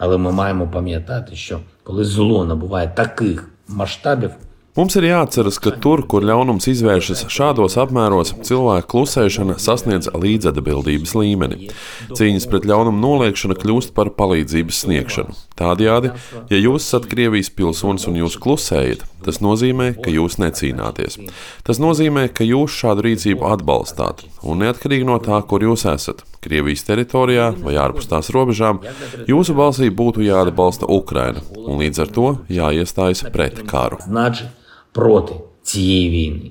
Але ми маємо пам'ятати, що коли зло набуває таких масштабів, Mums ir jāatceras, ka tur, kur ļaunums izvēršas šādos apmēros, cilvēku klusēšana sasniedz līdzatbildības līmeni. Cīņas pret ļaunumu noliekšana kļūst par palīdzības sniegšanu. Tādējādi, ja jūs esat Krievijas pilsonis un jūs klusējat, tas nozīmē, ka jūs necīnāties. Tas nozīmē, ka jūs šādu rīcību atbalstāt, un neatkarīgi no tā, kur jūs esat, Krievijas teritorijā vai ārpus tās robežām, jūsu balsī būtu jāatbalsta Ukraina, un līdz ar to jāiestājas pret karu. Значить, проти цієї війни.